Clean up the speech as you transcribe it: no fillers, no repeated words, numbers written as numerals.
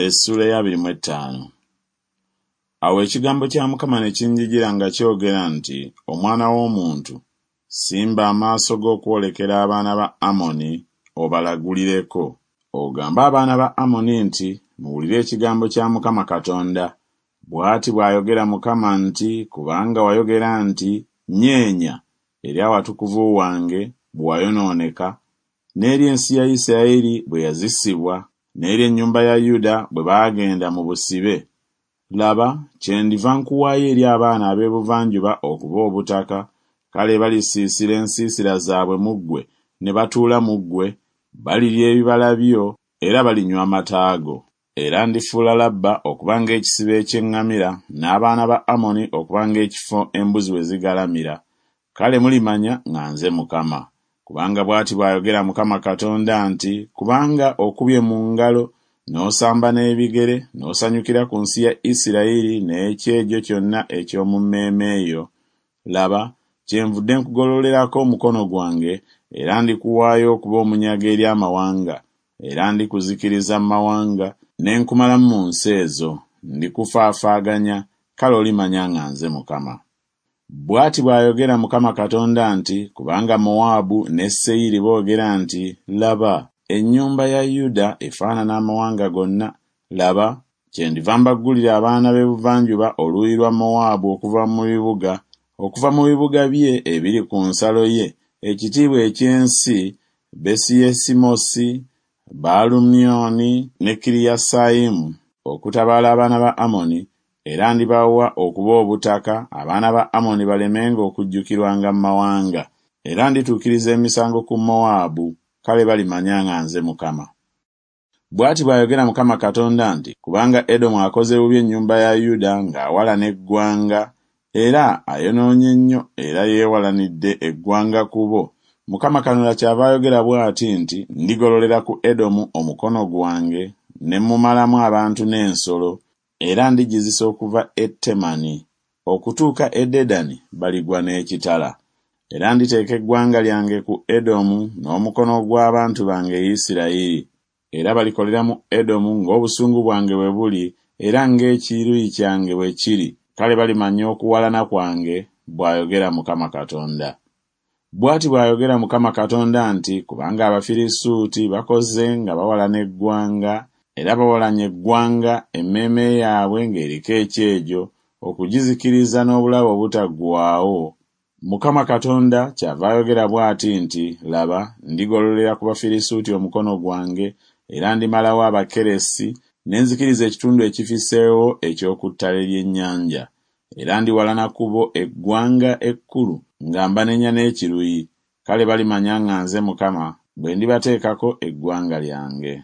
Essuula ey'abiri mu ettaano. Awo ekigambo kya Mukama ne kinjijira nga kyogera nti Omwana w'omuntu, simba amaaso go okwolekera abaana ba Amoni, obalagulireko. Ogambe abaana ba Amoni nti Muwulire ekigambo kya Mukama Katonda, Bw'ati bw'ayogera Mukama nti Kubanga wayogera nti Nyeenya eri awatukuvu wange bwe wayonooneka, n'eri ensi ya Isiraeri bwe yazisibwa, n'eri ennyumba ya Yuda bwe baagenda mu busibe, laba, kyendiva nkuwaayo eri abaana ab'ebuvanjuba okuba obutaka, kale balisiisira ensiisira zaabwe mu ggwe ne batuula mu ggwe, balirya ebibala byo era balinywa amata go. Era ndifuula Labba okuba ng'ekisibo eky'eŋŋamira, n'abaana ba Amoni okuba ng'ekifo embuzi we zigalamira, kale mulimanya nga nze Mukama. Kubanga bw'ati bw'ayogera Mukama Katonda nti Kubanga okubye mu ngalo n'osamba n'ebigere n'osanyukira ku nsi ya Isirayiri n'ekyejo kyonna eky'omu mmeeme yo, laba, kyenvudde nkugololerako omukono gwange, era ndikuwaayo okuba omunyago eri amawanga, era ndikuzikiriza mu mawanga, ne nkumalamu mu nsi ezo, ndikufaafaaganya, kale olimanya nga nze Mukama. Bw'ati bw'ayogera Mukama Katonda nti Kubanga Mowaabu ne Seyiri boogera nti Laba, ennyumba ya Yuda efaanana amawanga gonna, laba, kyendiva mbaggulira abaana b'ebuvanjuba oluuyi lwa Mowaabu okuva mu bibuga, okuva mu bibuga bye ebiri ku nsalo ye, ekitiibwa eky'ensi, Besiyesimosi, Baalumyoni ne Kiriyasayimu, okutabaala abaana ba Amoni, era ndibawa okuba obutaka, abaana ba Amoni balemenga okujjukirwanga mu mawanga. Era ndituukiriza emisango ku Mowaabu, kale balimanya nga nze Mukama. Bw'ati bw'ayogera Mukama Katonda nti Kubanga Edomu akoze bubi ennyumba ya Yuda ng'awalana eggwanga, era ayonoonye nnyo era yeewalanidde eggwanga ku bo, Mukama Kanonda kyava ayogera bw'ati nti Ndigololera ku Edomu omukono gwange, ne mmumalamu abantu n'ensolo, era ndigizisa okuva e Temani okutuuka e Dedani baligwa n'ekitala. Era nditeeka eggwanga lyange ku Edomu n'omukono gw'abantu bange Isirayiri, era balikolera mu Edomu ng'obusungu bwange bwe buli era ng'ekiruyi kyange bwe kiri, kale balimanya okuwalana kwange, bw'ayogera Mukama Katonda. Bw'ati bw'ayogera Mukama Katonda nti Kubanga Abafirisuuti bakoze nga bawalana eggwanga, era bawalanye eggwanga emmeeme yaabwe ng'eriko ekyejo, okugizikiriza n'obulabe obutaggwaawo, Mukama Katonda kyava ayogera bw'ati nti Laba, ndigololera ku Bafirisuuti omukono gwange, era ndimalawo Abakeresi, ne nzikiriza ekitundu ekifisseewo eky'oku ttale ly'ennyanja. Era ndiwalana ku bo eggwanga ekkulu nga mbanenya n'ekiruyi, kale balimanya nga nze Mukama bwe ndibateekako eggwanga lyange.